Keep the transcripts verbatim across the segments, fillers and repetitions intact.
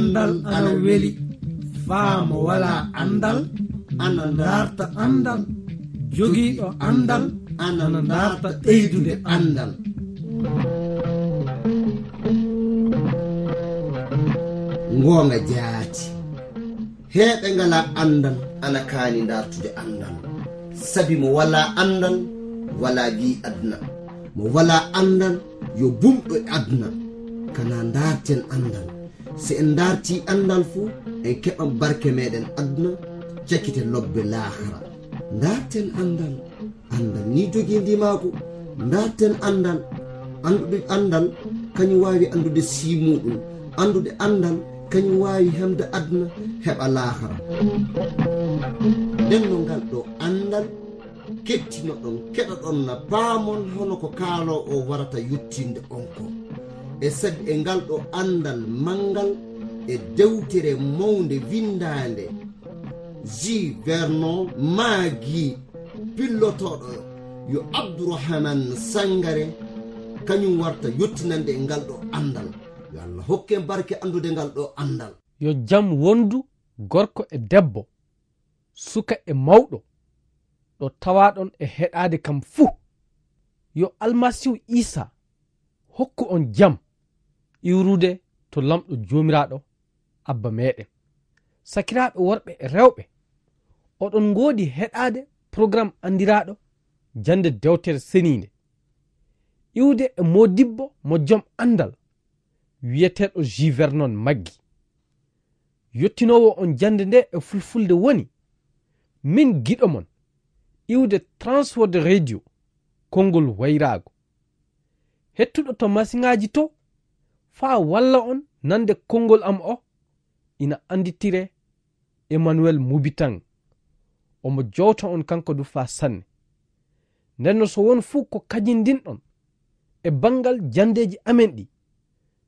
Anndal ana weli, faa mo walaa anndal ana ndaarta anndal, jogiiɗo anndal ana ndaarta ɓeydude anndal. Ngoonga jaati. Heeɓe ngalaa anndal ana kaani ndaartude anndal. Sabi mo walaa anndal, walaa giy aduna. Mo walaa anndal, yo bumɗo e aduna. Kana ndaarten anndal. Si en ndaartii anndal fu, en keɓan barke meɗen aduna, cakite lobbe laahara. Ndaarten anndal. Anndal ni jogii ndimaagu. Ndaarten anndal. Anndude anndal, kañum waawi anndude sii muuɗum. Anndude anndal, kañum waawi hemde aduna, heɓa laahara. Nden no ngal ɗo anndal kettinoɗon, keɗoɗon na paamon hono ko kaaloowo o warata yettinde on ko. E sabi e ngal ɗo anndal manngal e dewtere mawnde winndaande J. Vernon Maggi, pillotooɗo yo Abdourahmane Sangare, kañum warta yettinande e ngal ɗo anndal. Yo Allah hokke en barke anndude ngal ɗo anndal. Yo jam wondu gorko e debbo, suka e mawɗo, ɗo tawaaɗon e heɗaade kam fuu. Yo Almasiihu Iisaa hokku on jam iwrude to Laamɗo Joomiraaɗo Abba meɗen. Sakiraaɓe worɓe e rewɓe, oɗon ngoodi heɗaade program anndiraaɗo Jannde Dewtere Seniinde, iwde e moodibbo mo jom anndal, wiyeteeɗo J. Vernon Maggi. Yottinoowo on jannde nde e fulfulde woni, min giɗo mon, iwde Transworld Radio, konngol wayraago. Hettuɗo to masiŋaaji to, faa walla on nande konngol am o, ina annditire Emmanuel Mubitang. Omo jowta on kanko du faa sanne. Nden no so won fuu ko kajindinɗon e banngal janndeeji amen ɗi,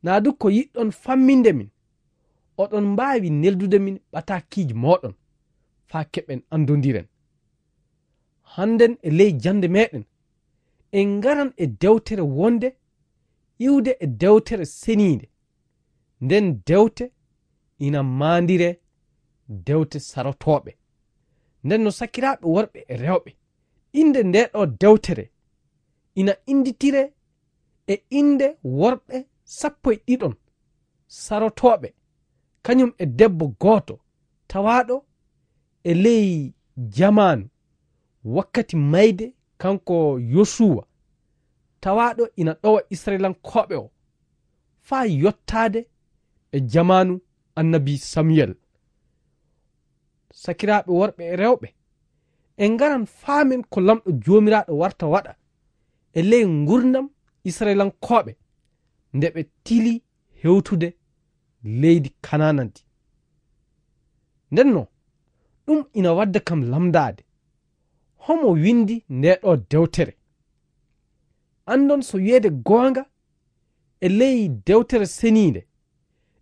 naa du ko yiɗɗon famminde min, oɗon mbaawi neldude min ɓataakiiji mooɗon faa keɓen anndondiren. Hannden e ley jannde meɗen, en ngaran e dewtere wonde iwde e dewtere seniinde. Nden dewte ina maandire dewte sarotooɓe. Nden no sakiraaɓe worɓe e rewɓe, innde nde ɗo dewtere ina innditire e innde worɓe sappo e ɗiɗon sarotooɓe, kañum e debbo gooto tawaaɗo e ley jamaanu wakkati mayde kanko Yosuwa, tawaaɗo ina ɗowa Isra'ilankooɓe o, faa yottaade e jamaanu annabi Samuyel. Sakiraaɓe worɓe e rewɓe, en ngaran faamen ko Laamɗo Joomiraaɗo warta waɗa e ley nguurndam Isra'ilankooɓe nde ɓe tilii hewtude leydi Kanaana ndi. Nden no, ɗum ina wadda kam lamndaade, homo winndi nde ɗo dewtere? Anndon so wiyeede goonga, e ley dewtere seniinde,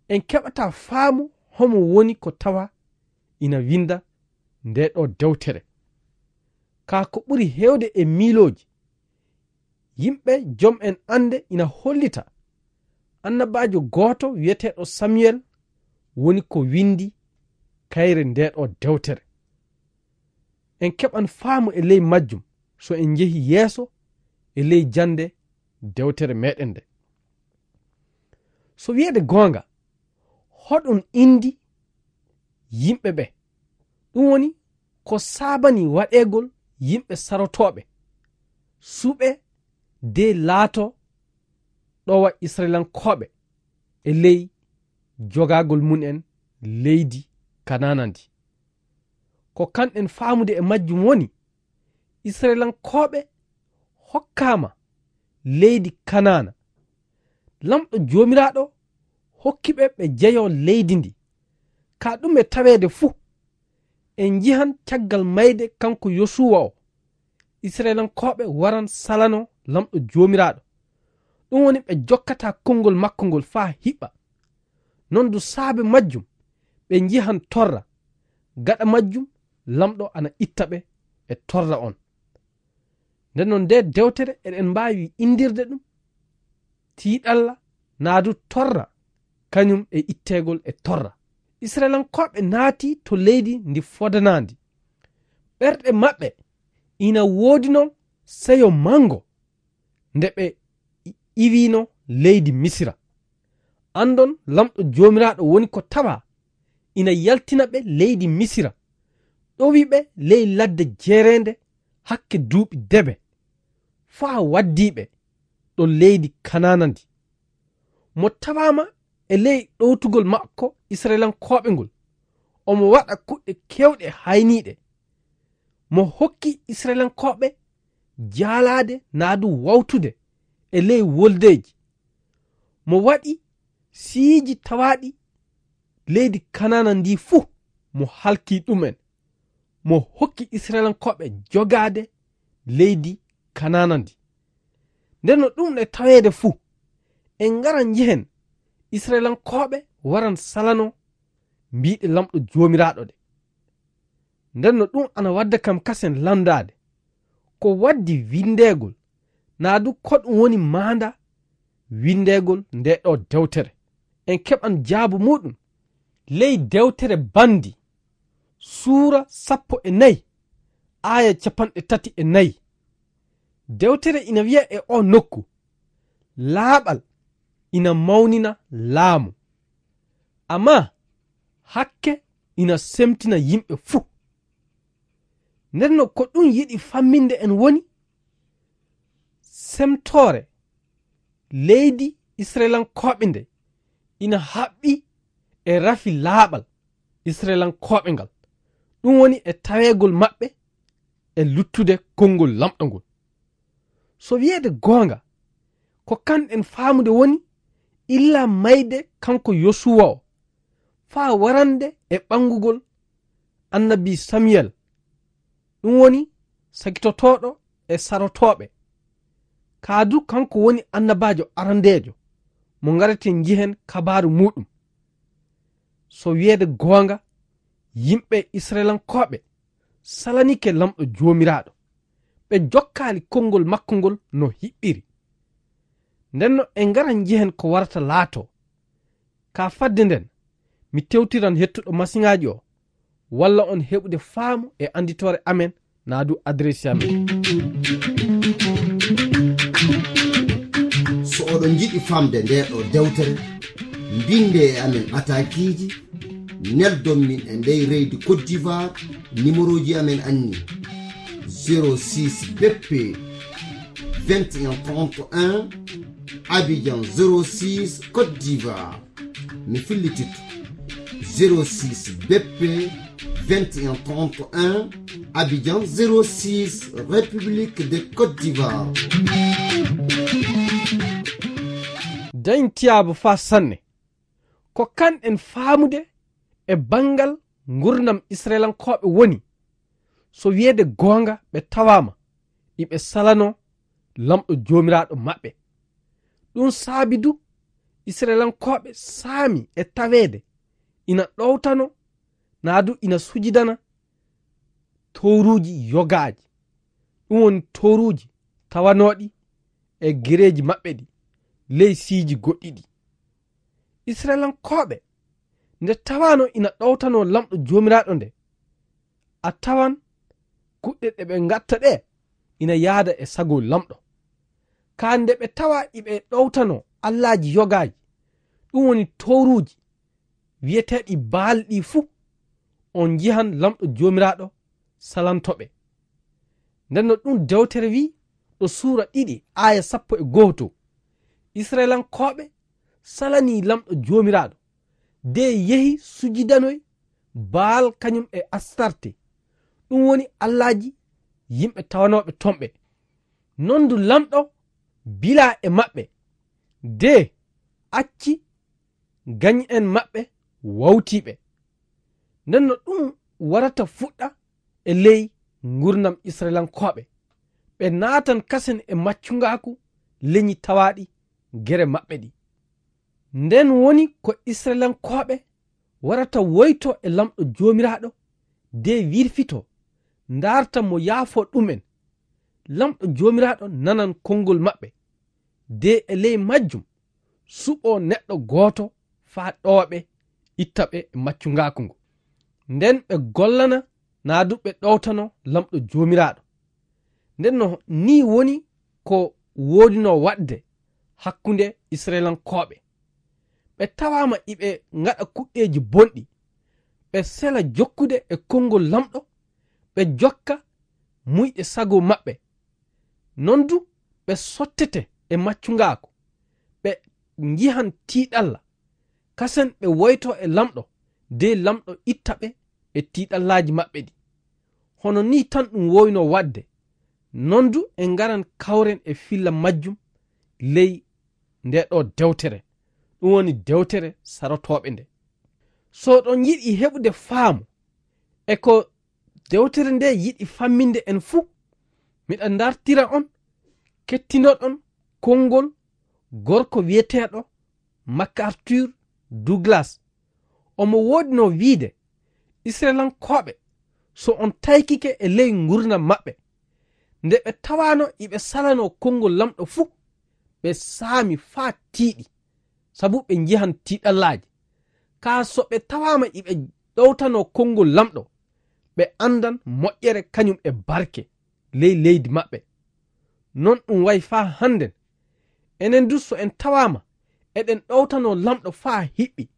en keɓataa faamu homo woni ko tawa ina winnda nde ɗo dewtere. Kaa ko ɓuri heewde e miilooji, yimɓe jom en annde ina hollita annabaajo gooto wiyeteeɗo Samuyel woni ko winndi kayre nde ɗo dewtere. En keɓan faamu e ley majjum so en njehi yeeso e ley jannde dewtere meɗen nde. So wiyeede goonga, hoɗum inndi yimɓe ɓe? Ɗum woni ko saabani waɗeegol yimɓe sarotooɓe, suɓe de laato ɗowa Isra'ilankooɓe e ley jogaagol mum en leydi Kanaana ndi. Ko kanɗen faamude e majjum woni, Isra'ilankooɓe hokkaama leydi Kanaana. Laamɗo Joomiraaɗo hokki ɓe ɓe njeyoo leydi ndi. Ka ɗum e taweede fuu, en njihan caggal mayde kanko Yosuwa o, Isra'ilankooɓe waran salano Laamɗo Joomiraaɗo. Ɗum woni ɓe jokkataa konngol makko ngol faa hiɓɓa. Non du saabe majjum, ɓe njihan torra. Gaɗa majjum, Laamɗo ana itta ɓe e torra on. Nden non nde dewtere eɗen mbaawi inndirde ɗum tiiɗalla naa du torra kañum e itteegol e torra. Israelankooɓe naati to leydi ndi fodanaandi. Ɓerɗe maɓɓe ina woodi noon seyo manngo nde ɓe iwiino leydi Misira. Anndon Laamɗo Joomiraaɗo woni ko tawa ina yaltina ɓe leydi Misira, ɗowi ɓe ley ladde jeereende hakke duuɓi debe, faa waddii ɓe ɗo leydi Kanaana ndi. Mo tawaama e ley ɗowtugol makko Israelankooɓe ngol, omo waɗa kuɗɗe keewɗe hayniiɗe. Mo hokki Israelankooɓe jaalaade naadu wawtude e ley woldeeji. Mo waɗi siiji tawaaɗi leydi Kanaana ndi fuu, mo halki ɗum'en. Mo hokki Israelankooɓe jogaade leydi Kanaana ndi. Nden no ɗum e taweede fuu, en ngara njehen Israelankooɓe waran salano mbiiɗe Laamɗo Joomiraaɗo ɗe. Nden no ɗum ana wadda kam kasen lanndaade. Ko waddi winndeegol, naa du ko ɗum woni maanda winndeegol nde ɗo dewtere? En keɓan jaabu muuɗum ley dewtere Banndi, suura sappo e nayi, aaya capanɗe tati e nayi. Dewtere ina wiya e o nokku, laaɓal ina mawnina laamu, amma hakke ina semtina yimɓe fuu. Nden no ko ɗum yiɗi famminde en woni semtoore leydi Israelankooɓe nde ina haɓɓi e rafi laaɓal Israelankooɓe ngal. Ɗum woni e taweegol maɓɓe e luttude konngol Laamɗo ngol. So wiyeede goonga, ko kanɗen faamude woni illa mayde kanko Yosuwa o, faa warande e ɓangugol annabi Samuyel, ɗum woni sakitotooɗo e sarotooɓe. Kaa du kanko woni annabaajo arandeejo mo ngareten njihen kabaaru muuɗum. So wiyeede goonga, yimɓe Israelankooɓe salanike Laamɗo Joomiraaɗo. Ɓe jokkaali konngol makko ngol no hiɓɓiri. Nden no en ngara njehen ko warata laato. Ka fadde nden, mi tewtiran hettuɗo masiŋaaji o, walla on heɓude faamu e annditoore amen, naa du adresi amen. So oɗon njiɗi famde nde ɗo dewtere, mbinde e amen atakiiji, neldon min e ndey reydi Côte d'Ivoire, numéroji amen anni, zéro six B P vingt et un trente et un, Abidjan zéro six, Côte d'Ivoire. Mi fillititto, zéro six B P vingt et un trente et un, Abidjan zéro six, République de Côte d'Ivoire. Dañ tiyaabu faa sanne. Ko kanɗen faamude e banngal ngurnam Israelankooɓe woni, so wiyeede goonga, ɓe tawaama iɓe salano Laamɗo Joomiraaɗo maɓɓe. Ɗum saabi du Israelankooɓe saami e taweede ina ɗowtano, naa du ina sujidana tooruuji yogaaji, ɗum woni tooruuji tawanooɗi e gereeji maɓɓe ɗi ley siiji goɗɗi ɗi. Israelankooɓe nde tawaano ina ɗowtano Laamɗo Joomiraaɗo nde, a tawan kuɗɗe ɗe ɓe ngatta ɗe ina yaada e sago Laamɗo. Kaa nde ɓe tawa iɓe ɗowtano allaaji yogaaji, ɗum woni tooruuji wiyeteeɗi Baal ɗi fuu, on njihan Laamɗo Joomiraaɗo salanto ɓe. Nden no ɗum dewtere wi'i ɗo suura ɗiɗi aaya sappo e gooto, Israelankooɓe salanii Laamɗo Joomiraaɗo, de yehi sujidanoy Baal kañum e Astarte, ɗum woni allaaji yimɓe tawanooɓe toon ɓe. Non du Laamɗo bilaa e maɓɓe, de acci gañen maɓɓe wawtii ɓe. Nden no ɗum warata fuɗɗa e ley ngurnam Israelankooɓe. Ɓe naatan kasen e maccungaaku leñi tawaaɗi gere maɓɓe ɗi. Nden woni ko Israelankooɓe warata woyto e Laamɗo Joomiraaɗo, de wirfito, ndaarta mo yaafo ɗum'en. Laamɗo Joomiraaɗo nanan konngol maɓɓe, de e ley majjum suɓo neɗɗo gooto faa ɗowa ɓe, itta ɓe e maccungaaku ngu. Nden ɓe gollana, naa du ɓe ɗowtano Laamɗo Joomiraaɗo. Nden no nii woni ko woodinoo waɗde hakkunde Isra'ilankooɓe. Ɓe tawaama iɓe ngaɗa kuɗɗeeji bonɗi, ɓe sela jokkude e konngol Laamɗo, ɓe jokka muyɗe sago maɓɓe. Non du ɓe sottete e maccungaaku, ɓe njihan tiiɗalla. Kasen ɓe woyto e Laamɗo, de Laamɗo itta ɓe e tiiɗallaaji maɓɓe ɗi. Hono nii tan ɗum woowinoo waɗde, non du en ngaran kawren e filla majjum ley ndee ɗoo dewtere, ɗum woni dewtere Sarotooɓe nde. So oɗon yiɗi heɓude faamu e ko dewtere nde yiɗi famminde en fuu, miɗa ndartira on kettinoɗon konngol gorko wiyeteeɗo MacArthur Douglas. Omo woodinoo wiide, Isra'ilankooɓe, so on taykike e ley ngurndan maɓɓe, nde ɓe tawaano iɓe salanoo konngol Laamɗo fuu, ɓe saami faa tiiɗi, sabu ɓe njihan tiiɗallaaji. Kaa so ɓe tawaama iɓe ɗowtanoo konngol Laamɗo, ɓe anndan moƴƴere kañum e barke ley leydi maɓɓe. Non ɗum wayi faa hannden. Enen du so en tawaama eɗen ɗowtanoo Laamɗo faa hiɓɓi,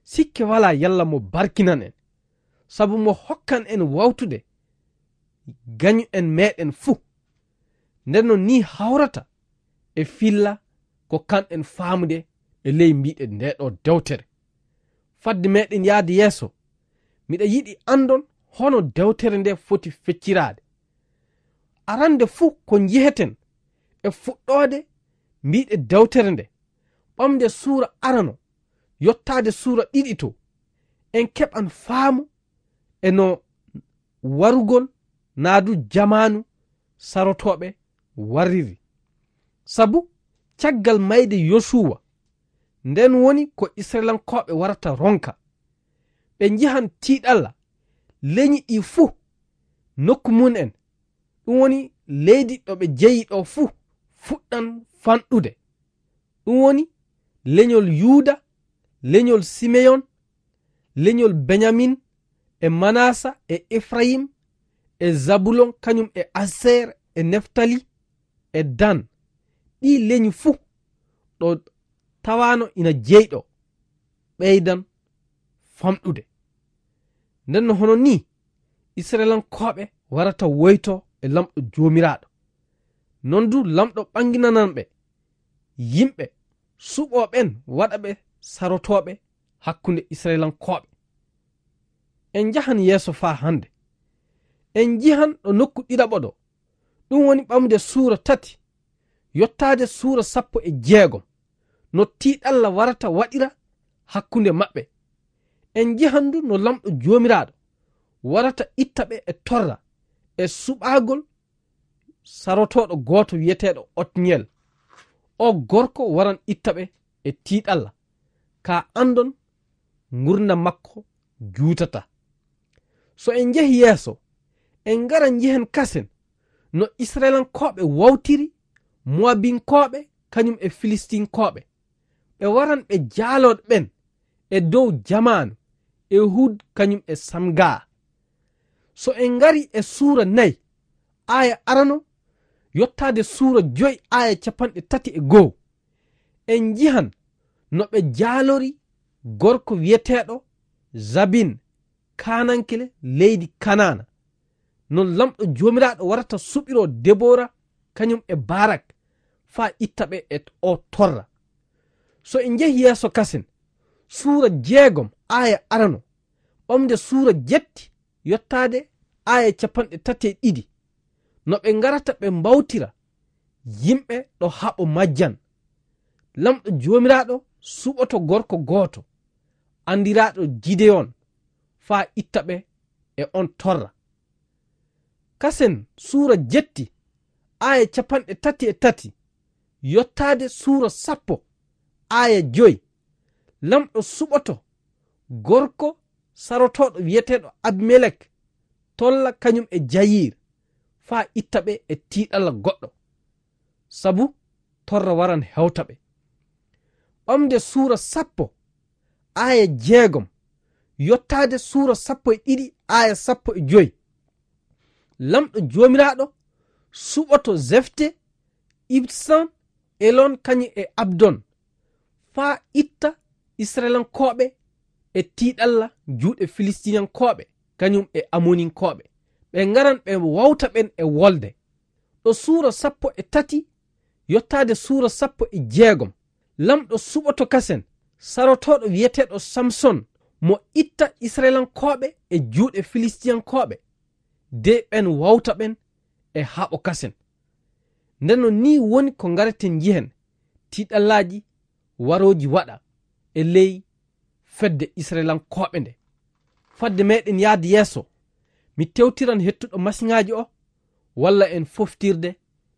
sikke walaa yalla mo barkinan en, sabu mo hokkan en wawtude gañu en meeɗen fuu. Nden no nii hawrata e filla ko kanɗen faamude e ley mbiɗe ndee ɗoo dewtere. Fadde meɗen yaade yeeso, miɗa yiɗi anndon hono dewtere nde foti fecciraade. Arande fuu ko njiheten e fuɗɗoode mbiɗe dewtere nde, ɓamde suura arano, yottaade suura ɗiɗi to, en keɓan faamu e no warugol naa du jamaanu sarotooɓe warriri. Sabu caggal mayde Yosuwa, nden woni ko Isra'ilankooɓe warata ronka. Ɓe njihan tiiɗalla leñi ɗi fuu, nokku mum en, ɗum woni leydi ɗo ɓe jeyi ɗo fuu, fuɗɗan fanɗude. Ɗum woni leñol Yuuda, leñol Simeyon, leñol Benyamin, e Manasa, e Efrayim, e Zabulon, kañum e Aser, e Neftali, e Dan. Ɗii leñi fuu ɗo tawaano ina jeyɗo, ɓeydan famɗude. Nden no hono nii Isra'ilankooɓe warata woyto e Laamɗo Joomiraaɗo. Non du Laamɗo ɓannginananɓe yimɓe suɓoo ɓen, waɗaɓe sarotooɓe hakkunde Isra'ilankooɓe. En njahan yeeso faa hannde. En njihan ɗo nokku ɗiɗaɓo ɗo, ɗum woni ɓamde suura tati, yottaade suura sappo e jeegom, no tiiɗalla warata waɗira hakkunde maɓɓe. En njihan du no Laamɗo Joomiraaɗo warata itta ɓe e torra e suɓaagol sarotooɗo gooto wiyeteeɗo Otniyel. O gorko waran itta ɓe e tiiɗalla, kaa anndon ngurndan makko juutata. So en njehi yeeso, en ngara njihen kasen no Isra'ilankooɓe wawtiri Mowabinkooɓe kañum e Filistinkooɓe. Ɓe waran ɓe jaalooɗe ɓen e dow jamaanu Ehud kañum e Samgaa. So en ngari e suura nayi, aaya arano, yottaade suura joy, aaya capanɗe tati e goo, en njihan no ɓe jaalori gorko wiyeteeɗo Zabin, kaanankile leydi Kanaana. Non Laamɗo Joomiraaɗo warata suɓiroo Deboora kañum e Barak faa itta ɓe e o torra. So en njehi yeeso kasen, suura jeegom, aaya arano, ɓamde suura jetti, yottaade aaya capanɗe tati e ɗiɗi, no ɓe ngarata ɓe mbawtira yimɓe ɗo haɓo majjan. Laamɗo Joomiraaɗo suɓoto gorko gooto, anndiraaɗo Jideyon, faa itta ɓe e on torra. Kasen suura jetti, aaya capanɗe tati e tati, yottaade suura sappo, aaya joy, Laamɗo suɓoto gorko sarotooɗo wiyeteeɗo Abimelek, tolla kañum e Jayir, faa itta ɓe e tiiɗalla goɗɗo, sabu torra waran hewta ɓe. Ɓamde suura sappo, aaya jeegom, yottaade suura sappo e ɗiɗi, aaya sappo e joy. Laamɗo Joomiraaɗo suɓoto Jefte, Ibsan, Elon, kañum e Abdon, faa itta Israylankooɓe e tiiɗalla juuɗe Filistiniyankooɓe, kañum e Amoninkooɓe. Ɓe ngaran ɓe wawta ɓen e wolde. Ɗo suura sappo e tati yottaade suura sappo e jeegom, Laamɗo suɓoto kasen sarotooɗo wi'eteeɗo Samson, mo itta Israylankooɓe e juuɗe Filistiyankooɓe, de ɓen wawta ɓen e haɓo kasen. Nden non nii woni ko ngareten njihen tiiɗallaaji warooji waɗa e ley fedde Israylankooɓe nde. Fadde meɗen yaade yeeso, mi tewtiran hettuɗo masiŋaaji o, walla en foftirde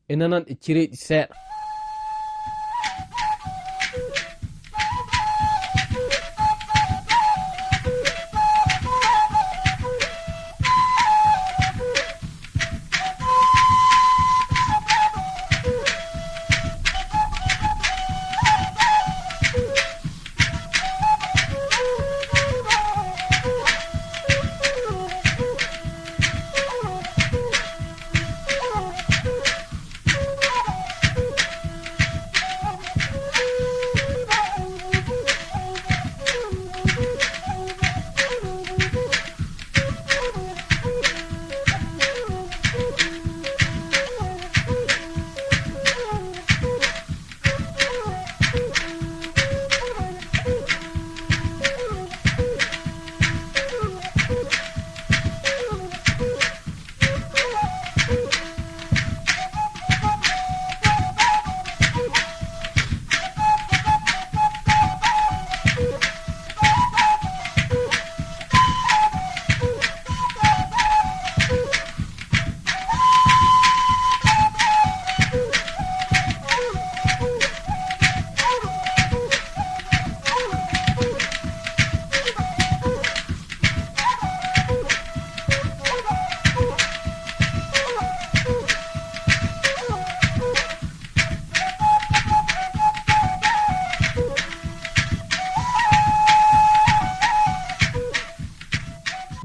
e nananɗe cereeɗi seeɗa.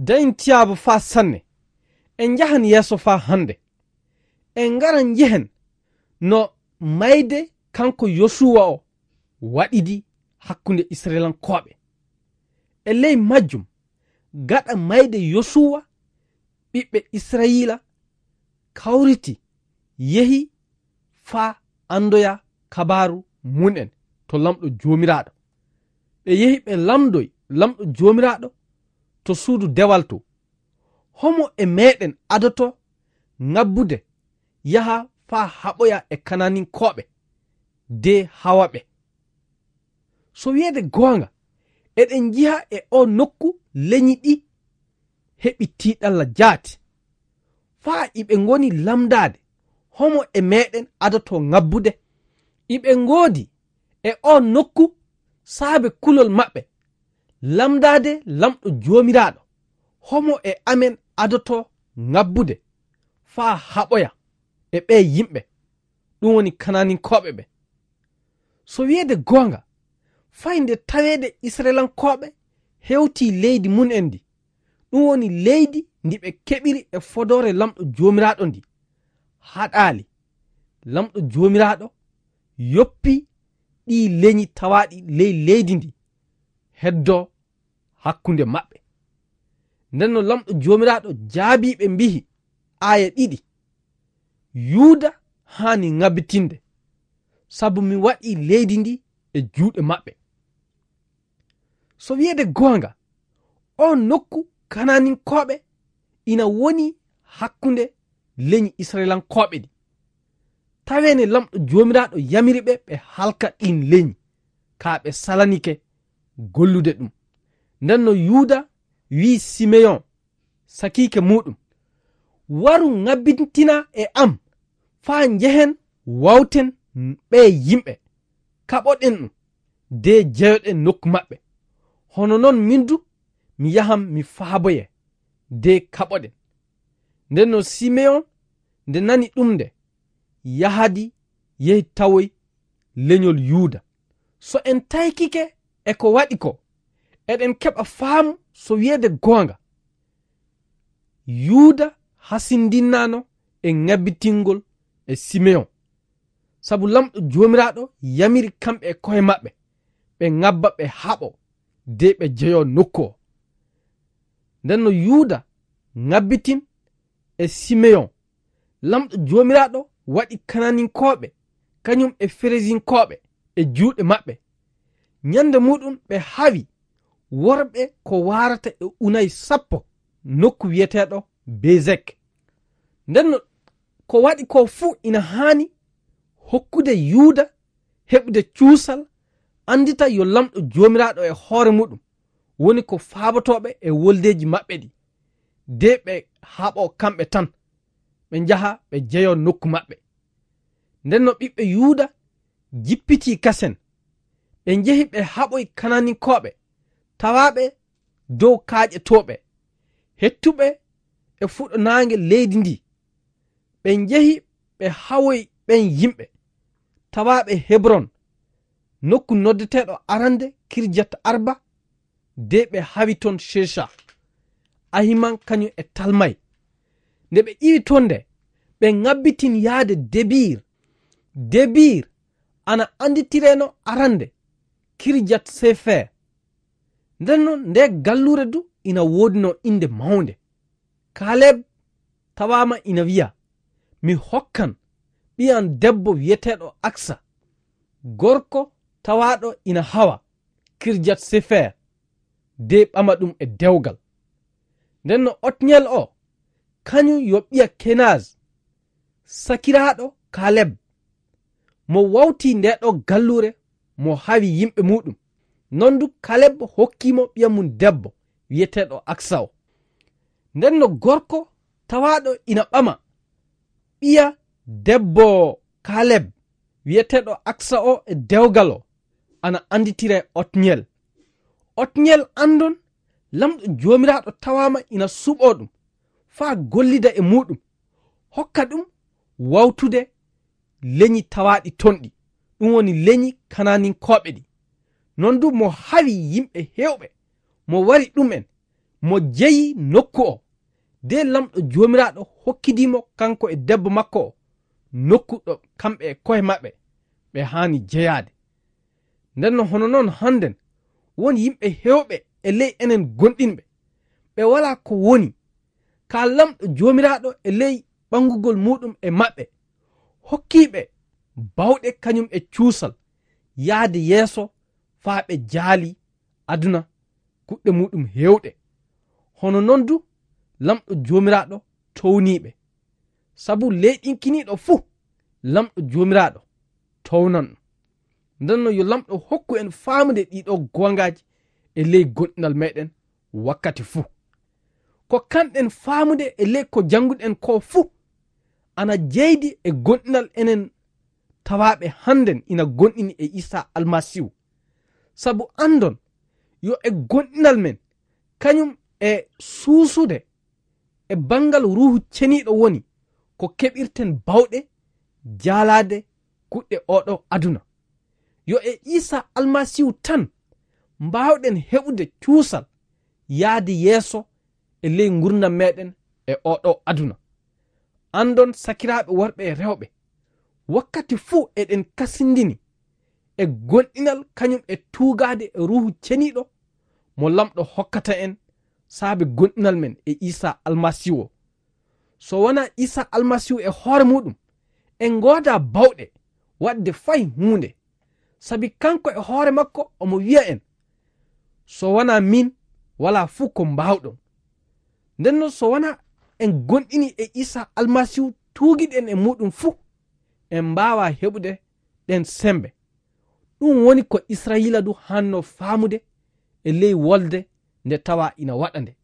Dañin tiyaaba faa sanne. En njahan yeeso faa hande. En ngaran njehen no mayde kanko Yosuwa o waɗidi hakkunde Israylankooɓe. E ley majjum, gaɗa mayde Yosuwa, ɓiɓɓe Israyiila kawriti, yehi faa anndoya kabaaru mum'en to Laamɗo Joomiraaɗo. Ɓe yehi ɓe lamndoy Laamɗo Joomiraaɗo to suudu dewal to. Homo e meɗen adoto ŋabbude yaha faa haɓoya e Kanaaninkooɓe de hawa ɓe? So wi'eede goonga, eɗen njiha e oo nokku lenyi ɗi heɓi tiiɗalla jaati, faa iɓe ngoni lamndaade homo e meɗen adoto ŋabbude. Iɓe ngoodi e oo nokku saabe kulol maɓɓe lamndaade Laamɗo Joomiraaɗo, homo e amen adoto ŋabbude faa haɓoya e ɓee yimɓe, ɗum woni Kanaaninkooɓe ɓe. So wi'eede goonga, fay nde taweede Israylankooɓe hewtii leydi mum'en ndi, ɗum woni leydi ndi ɓe keɓiri e fodoore Laamɗo Joomiraaɗo ndi, haɗaali. Laamɗo Joomiraaɗo yoppi ɗii lenyi tawaaɗi ley leydi ndi heddoo hakkunde maɓɓe. Nden no Laamɗo Joomiraaɗo jaabii ɓe, mbi'i, aaya ɗiɗi, Yuuda haani ŋabbitinde, sabu mi waɗii leydi ndi e juuɗe maɓɓe. So wi'eede goonga, oo nokku Kanaaninkooɓe ina woni hakkunde lenyi Israylankooɓe ɗi. Taweene Laamɗo Joomiraaɗo yamiri ɓe ɓe halka ɗiin lenyi, kaa ɓe salanike gollude ɗum. Nden no Yuuda wi'i Simeyon, sakiike muuɗum, "Waru ŋabbintinaa e am faa njehen wawten ɓee yimɓe, kaɓoɗen ɗum, de jeyoɗen nokku maɓɓe. Hono non min du, mi yahan mi faaboye, de kaɓoɗen." Nden no Simeyon, nde nani ɗum nde, yahadi yehi tawoy lenyol Yuuda. So en taykike e ko waɗi ko, Eɗen keɓa faamu so wiyeede goonga, Yuuda hasindinnaano e ŋabbitingol e Simeyon, sabu Laamɗo Joomiraaɗo yamiri kamɓe e ko'e maɓɓe, ɓe ŋabba, ɓe haɓo, de ɓe jeyo nokku o. Nden no Yuuda ŋabbitin e Simeyon, Laamɗo Joomiraaɗo waɗi Kanaaninkooɓe, kañum e Feresinkooɓe, e juuɗe maɓɓe. Ñande muuɗum ɓe hawi worɓe ko waarata e unay sappo nokku wiyeteeɗo Bezek. Nden no ko waɗi ko fuu ina haani hokkude Yuuda heɓude cuusal, anndita yo Laamɗo Joomiraaɗo e hoore muuɗum woni ko faabotooɓe e woldeeji maɓɓe ɗi, de ɓe haɓo kamɓe tan, ɓe njaha ɓe jeyo nokku maɓɓe. Nden no ɓiɓɓe Yuuda jippitii kasen, ɓe njehi ɓe haɓoyi Kanaaninkooɓe tawaaɓe dow kaaƴe tooɓe, hettuɓe e fuɗo naange leydi ndi. Ɓe njehi ɓe hawoyi ɓen yimɓe tawaaɓe Hebron, nokku noddeteeɗo arande Kirjat Arba, de ɓe hawi ton Shesha, Ahiman kañum e Talmay. Nde ɓe iwi ton nde, ɓe ŋabbitin yaade Debir. Debir ana annditireno arande Kirjat Sefer. Nden non nde gallure du ina woodino innde mawnde. Kaleb tawaama ina wiya, "Mi hokkan ɓiyan debbo wiyeteeɗo Aksa." Gorko tawaaɗo ina hawa Kirjat Sefer, de ɓama ɗum e dewgal. Nden no Otniel o, kañum yo ɓiya Kenaz, sakiraaɗo Kaleb, mo wawti nde ɗo gallure, mo hawi yimɓe muɗum. Non du Kaleb hokkimo ɓiya mum debbo wiyeteeɗo Aksa o. Nden no gorko tawaaɗo ina ɓama ɓiya debbo Kaleb wiyeteeɗo Aksa o e dewgal o ana annditira e Otniel. Otniel anndon Laamɗo Joomiraaɗo tawaama ina suɓoo ɗum faa gollida e muɗum, hokka ɗum wawtude leñi tawaaɗi ton ɗi, ɗum woni leñi Kanaaninkooɓe ɗi. Non du mo hawi yimɓe heewɓe, mo wari ɗum'en, mo jeyi nokku o, de Laamɗo Joomiraaɗo hokkidii mo kanko e debbo makko o nokku ɗo kamɓe e ko'e maɓɓe ɓe haani jeyaade. Nden no hono non hannden won yimɓe heewɓe e ley enen gonɗinɓe, ɓe walaa ko woni, ka Laamɗo Joomiraaɗo e ley ɓangugol muɗum e maɓɓe, hokkiiɓe bawɗe kañum e cuusal yaade yeeso faa ɓe jaali aduna kuɗɗe muɗum heewɗe. Hono non du Laamɗo Joomiraaɗo towniiɓe. Sabu leyɗinkiniiɗo fuu, Laamɗo Joomiraaɗo townan ɗum. Nden no yo Laamɗo hokku en faamude ɗiɗo goongaaji e ley gonɗinal meɗen wakkati fuu. Ko kanɗen faamude e ley ko jannguɗen ko fuu, ana jeydi e gonɗinal enen tawaaɓe hannden ina gonɗini e Iisaa Almasiihu. Sabu anndon yo e gonɗinal men, kañum e suusude e banngal Ruuhu Ceniiɗo woni ko keɓirten bawɗe jaalaade kuɗɗe oɗo aduna. Yo e Iisaa Almasiihu tan mbaawɗen heɓude cuusal yaade yeeso e ley ngurndan meɗen e oɗo aduna. Anndon sakiraaɓe worɓe e rewɓe, wakkati fuu eɗen kasindini e gonɗinal kañum e tuugaade e Ruuhu Ceniiɗo mo Laamɗo hokkata en saabe gonɗinal men e Iisaa Almasiihu o. So wanaa Iisaa Almasiihu e hoore muɗum, en ngoodaa bawɗe waɗde fay huunde. Sabi kanko e hoore makko omo wiya en, "So wanaa miin, walaa fuu ko mbaawɗon." Nden non so wanaa en gonɗini e Iisaa Almasiihu, tuugiɗen e muɗum fuu, en mbaawaa heɓude ɗen sembe. Ɗum woni ko Israa'iila du haanno faamude e ley wolde nde tawa ina waɗa nde.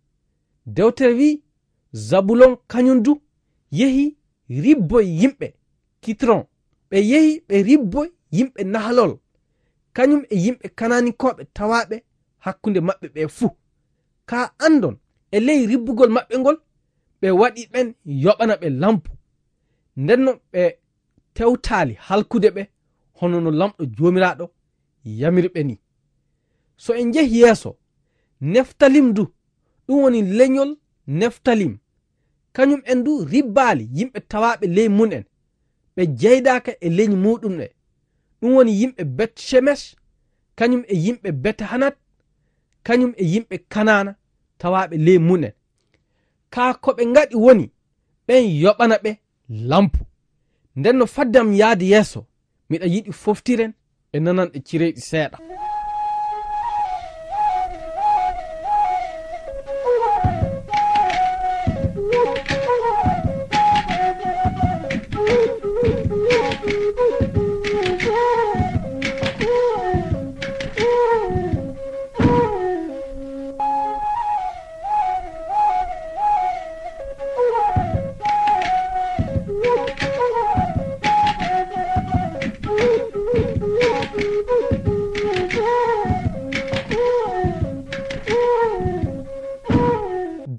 Dewtere wi'i, Zabulon kañum du yehi ribboy yimɓe Kitron. Ɓe yehi ɓe ribboy yimɓe Nahalol, kañum e yimɓe Kanaaninkooɓe tawaaɓe hakkunde maɓɓe ɓe fuu. Kaa anndon, e ley ribbugol maɓɓe ngol, ɓe waɗi ɓen yoɓana ɓe lampu. Nden non ɓe tewtaali halkude ɓe, hono no Laamɗo Joomiraaɗo yamiri ɓe ni. So en njehi yeeso, Neftalim du, ɗum woni leñol Neftalim. Kañum en du ribbaali yimɓe tawaaɓe ley mum en, ɓe jeydaaka e leñi muuɗum en. Ɗum woni yimɓe Bet-Shemesh, kañum e yimɓe Bet-Hanat, kañum e yimɓe Kanaana tawaaɓe ley mum en. Kaa ko ɓe ngaɗi woni, ɓen yoɓana ɓe lampu. Nden no fadde am yaade yeeso, miɗa yiɗi foftiren e nananɗe cireyɗi seeɗa.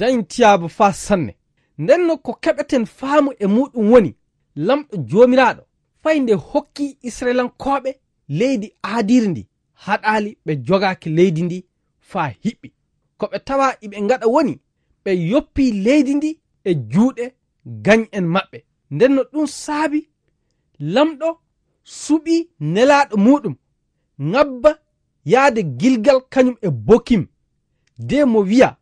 Dañ tiyaaba faa sanne. Nden no ko keɓeten faamu e muuɗum woni, Lamɗo Joomiraaɗo, fay nde hokki Isra'ilankooɓe leydi aadiiri ndi, haɗaali ɓe jogaaki leydi ndi faa hiɓɓi. Ko ɓe tawaa iɓe ngaɗa woni, ɓe yoppii leydi ndi e juuɗe gañ'en maɓɓe. Nden no ɗum saabi Lamɗo suɓii nelaaɗo muuɗum, ŋabba yaade Gilgal kañum e Bokim, de mo wi'a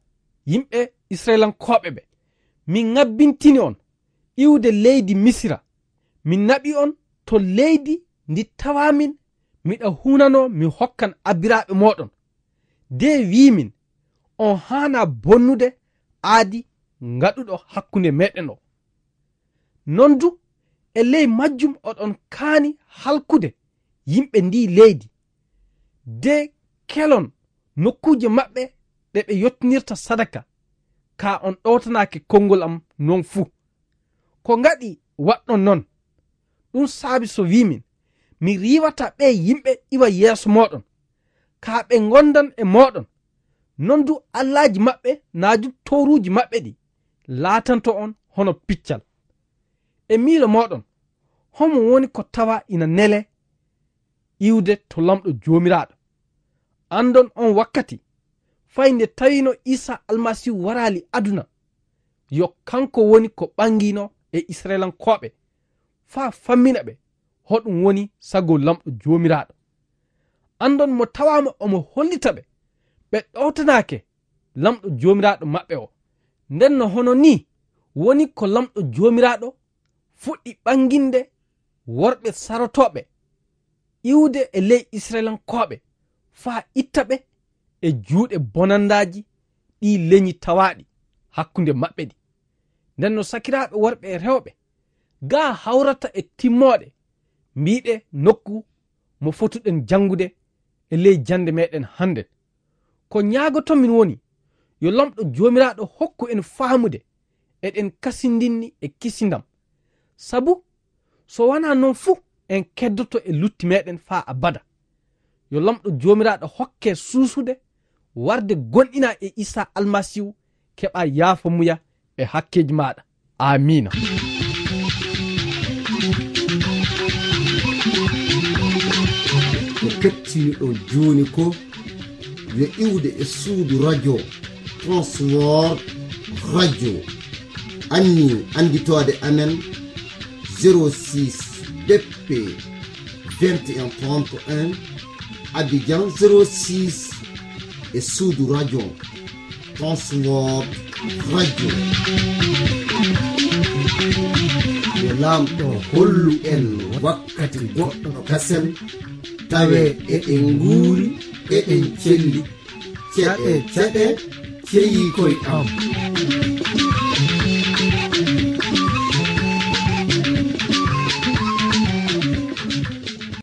yimɓe Isra'ilankooɓe ɓe, "Mi ŋabbintini on iwde leydi Misira. Mi naɓi on to leydi ndi tawaamin miɗa hunanoo mi hokkan abbiraaɓe mooɗon. De wi'imin, on haanaa bonnude aadi ngaɗuɗo hakkunde meeɗen o. Non du, e ley majjum oɗon kaani halkude yimɓe ndii leydi. De kelon nokkuuje maɓɓe ɗe ɓe yottinirta sadaka, kaa on ɗowtanaake konngol am non fuu." Ko ngaɗi waɗɗon non, ɗum saabi so wi'imin, "Mi riiwata ɓee yimɓe iwa yeeso mooɗon, kaa ɓe ngondan e mooɗon." Non du allaaji maɓɓe naa du tooruuji maɓɓe ɗi laatanto on hono piccal. E miilo mooɗon, homo woni ko tawa ina nele iwde to Lamɗo Joomiraaɗo? Anndon on wakkati, fay nde tawino Iisaa Almasiihu waraali aduna, yo kanko woni ko ɓangiino e Isra'ilankooɓe, faa fammina ɓe hoɗum woni sago Lamɗo Joomiraaɗo. Anndon mo tawaama omo hollita ɓe, ɓe ɗowtanaake Lamɗo Joomiraaɗo maɓɓe o. Nden no hono nii woni ko Lamɗo Joomiraaɗo fuɗɗi ɓanginde worɓe sarotooɓe iwde e ley Isra'ilankooɓe faa itta ɓe e juuɗe bonandaaji ɗii leñi tawaaɗi hakkunde maɓɓe ɗi. Nden no sakiraaɓe worɓe e rewɓe, gaa hawrata e timmooɗe, mbiɗe nokku mo fotuɗen janngude e ley jannde meɗen hannden. Ko ñaagotomin woni, yo Lamɗo Joomiraaɗo hokku en faamude eɗen kasindinni e kisindam. Sabu so wanaa non fu, en keddoto e lutti meɗen faa abada. Yo Lamɗo Joomiraaɗo hokke suusude, warde gonɗina e Iisaa Almasiihu, keɓa yaafamuya e hakkeeji maaɗa. Aamiina. Ko kettiniɗon jooni ko yo iwde e suudu radio Transworld Radio. Anni annditoode amen zéro six B P vingt et un trente et un, Abidjan zéro six e suudu radio Transworld Radio. Yo Laamɗo hollu en wakkati goɗɗo kasen, tawe eɗen nguuri, eɗen celli. Ceɗe, ceɗe, ceyi koy am.